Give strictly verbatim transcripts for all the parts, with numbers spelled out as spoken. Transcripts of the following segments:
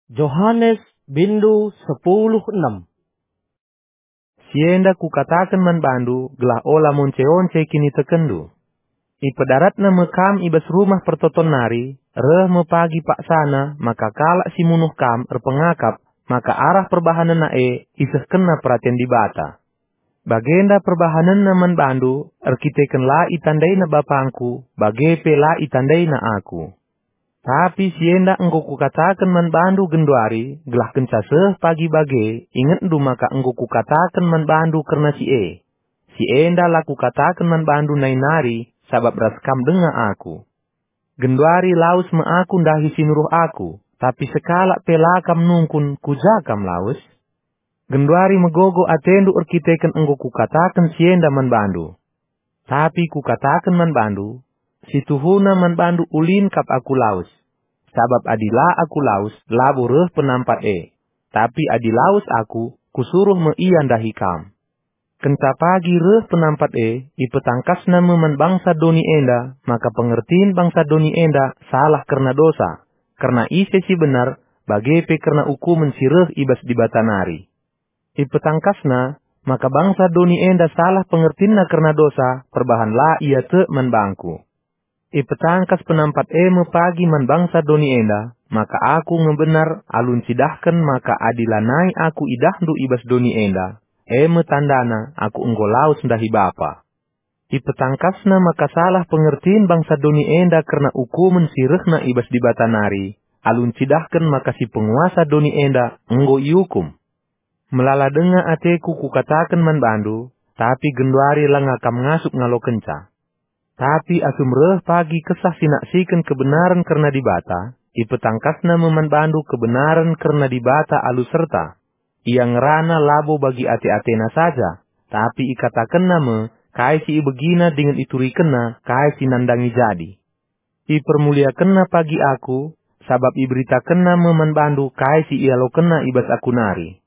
Johanes, bindu sepuluh enem. Si enda kukataken man bandu gelah ola monce-once kinitekenndu. Ipedaratna me kam i bas rumah pertoton nari, reh me pagi paksana maka kalak si munuh kam erpengakap maka arah perbahanenna e isehkenna peraten Dibata. Bagenda perbahanenna man bandu erkiteken la itandaina BapangKu, bage pe la itandaina Aku. Tapi si enda enggo Kukataken man bandu genduari, gelah kenca seh pagi bage ingetndu maka enggo Kukataken man bandu kerna si e. Si enda la Kukataken man bandu nai nari, sabap ras kam denga Aku. Genduari lawes me Aku ndahi si nuruh Aku, tapi sekalak pe la kam nungkun ku ja kam lawes. Genduari megogo atendu erkiteken enggo Kukataken si enda man bandu. Tapi Kukataken man bandu, si tuhuna man bandu ulin kap Aku lawes. Sabap adi la Aku lawes, labo reh penampat e. Tapi adi lawes Aku, Kusuruh me ia ndahi kam. Kenca pagi reh penampat e, ipetangkasna me man bangsa doni enda, maka pengertin bangsa doni enda salah kerna dosa, kerna ise si benar, bage pe kerna ukumen si reh i bas Dibata nari. Ipetangkasna maka bangsa doni enda salah pengertinna kerna dosa, perbahan la ia tek man bangKu. Ipetangkas penampat e me pagi man bangsa doni enda, maka Aku nge benar alu ncidahken maka adi lanai Aku idahndu i bas doni enda, e me tandana Aku enggo lawes ndahi Bapa. Ipetangkasna maka salah pengertin bangsa doni enda kerna ukumen si rehna i bas Dibata nari, alu ncidahken maka si penguasa doni enda enggo iukum. Melala denga ateKu Kukataken man bandu, tapi genduari langa kam ngasup ngalokenca. Tapi asum reh pagi Kesah si naksiken kebenaren kerna Dibata, ipetangkasna me man bandu kebenaren kerna Dibata alu serta. Ia ngerana labo bagi ate-atena saja, tapi ikatakenna me kai si ibegina dingen iturikenna kai si nandangi jadi. Ipermuliakenna pagi Aku, sabap iberitakenna me man bandu kai si ialokenna i bas Aku nari.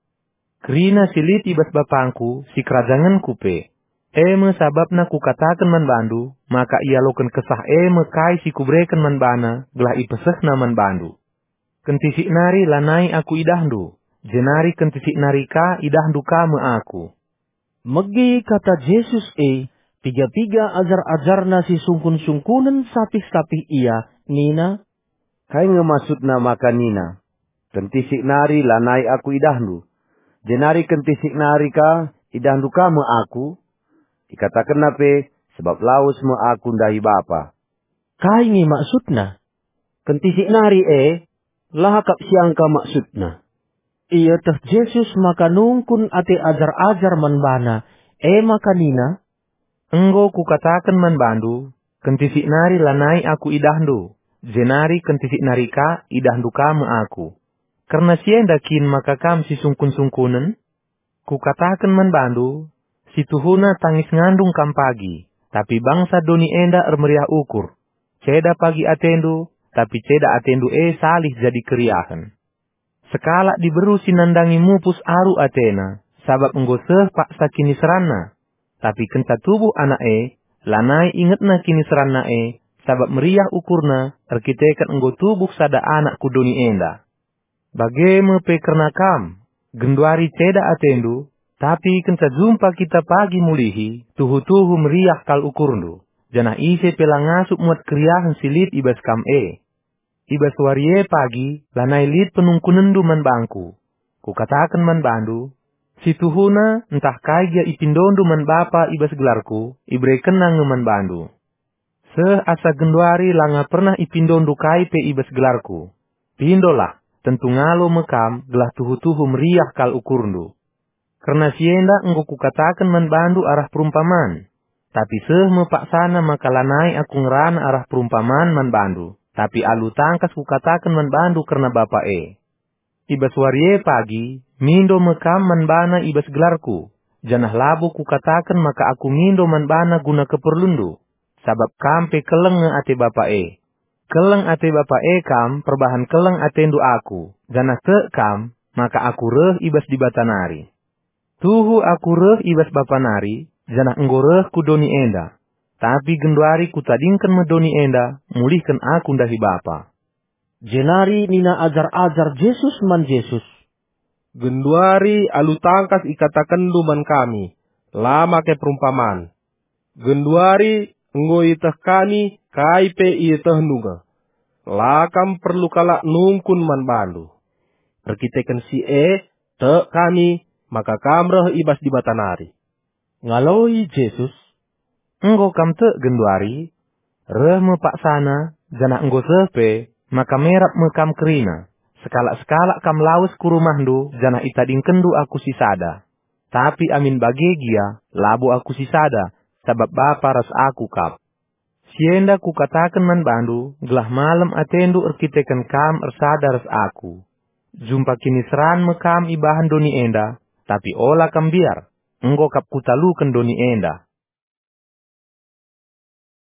Kerina si lit i bas BapangKu sikerajangenKu pe. E me sabapna Kukataken man bandu, maka ialoken Kesah e me kai si Kubereken man baNa gelah ipesehNa man bandu. Kentisik nari lanai Aku idahndu, jenari kentisik nari ka idahndu ka me Aku. Megi kata Jesus e, piga-piga ajar-ajarNa si sungkun-sungkunen sapih-sapih Ia, nina, "Kai nge maksudna maka nina, 'Kentisik nari lanai Aku idahndu, jenari kentisik nari ka idahndu ka me Aku'? IkatakenNa pe, 'Sebab lawes me Aku ndahi Bapa.'" Kai nge maksudna? Kentisik nari e, la kap siangka maksudna. Ieteh Jesus maka nungkun ate ajar-ajar man baNa, e maka nina, "Enggo Kukataken man bandu, kentisik nari lanai Aku idahndu, jenari kentisik nari ka idahndu ka me Aku. Kerna si enda kin maka kam sisungkun-sungkunen? Kukataken man bandu, si tuhuna tangis ngandung kam pagi, tapi bangsa doni enda ermeriah ukur. Ceda pagi atendu, tapi ceda atendu e salih jadi keriahen. Sekalak diberu si nandangi mupus aru atena, sabap enggo seh paksa kiniseranna. Tapi kenca tubuh anak e, lanai ingetna kiniseranna e, sabap meriah ukurna erkiteken enggo tubuh sada anak ku doni enda. Bage me pe kerna kam, genduari ceda atendu, tapi kenca jumpa kita pagi mulihi, tuhu-tuhu meriah kal ukurndu, janah ise pe la ngasup muat keriahen si lit i bas kam e. I bas wari e pagi lanai lit penungkunenndu man bangKu. Kukataken man bandu, si tuhuna ntah kai gia ipindondu man Bapa i bas gelarKu, iberekenNa nge man bandu. Seh asa genduari langa pernah ipindondu kai pe i bas gelarKu. Pindolah, tentu ngalo me kam gelah tuhu-tuhu meriah kal ukurndu. Kerna si enda enggo Kukataken man bandu arah perumpaman. Tapi seh me paksana maka lanai Aku ngerana arah perumpaman man bandu, tapi alu tangkas Kukataken man bandu kerna Bapa e. I bas wari e pagi, mindo me kam man bana i bas gelarKu, janah labo Kukataken maka Aku mindo man bana guna keperlunndu, sabap kam pe keleng nge ate Bapa e. Keleng ate Bapa e kam perbahan keleng atendu Aku, janah tek kam maka Aku reh i bas Dibata nari. Tuhu Aku reh i bas Bapa nari, janah enggo reh ku doni enda. Tapi genduari Kutadingken me doni enda, mulihken Aku ndahi Bapa. Jenari nina ajar-ajar Jesus man Jesus, "Genduari alu tangkas ikatakenndu man kami, la make perumpaman. Genduari enggo ieteh kami kai pe ietehndu nge. La kam perlu kalak nungkun man bandu. Erkiteken si e, tek kami maka kam reh i bas Dibata nari." Ngaloi Jesus, "Enggo kam tek genduari? Reh me paksana, janah enggo seh pe, maka merap me kam kerina. Sekalak-sekalak kam lawes ku rumahndu, janah itadingkenndu Aku sisada. Tapi amin bage gia, labo Aku sisada, sabap Bapa ras Aku kap. Si enda Kukataken man bandu, gelah malem atendu erkiteken kam ersada ras Aku. Jumpa kiniseran me kam ibahan doni enda, tapi ola kam mbiar, enggo kap Kutaluken doni enda."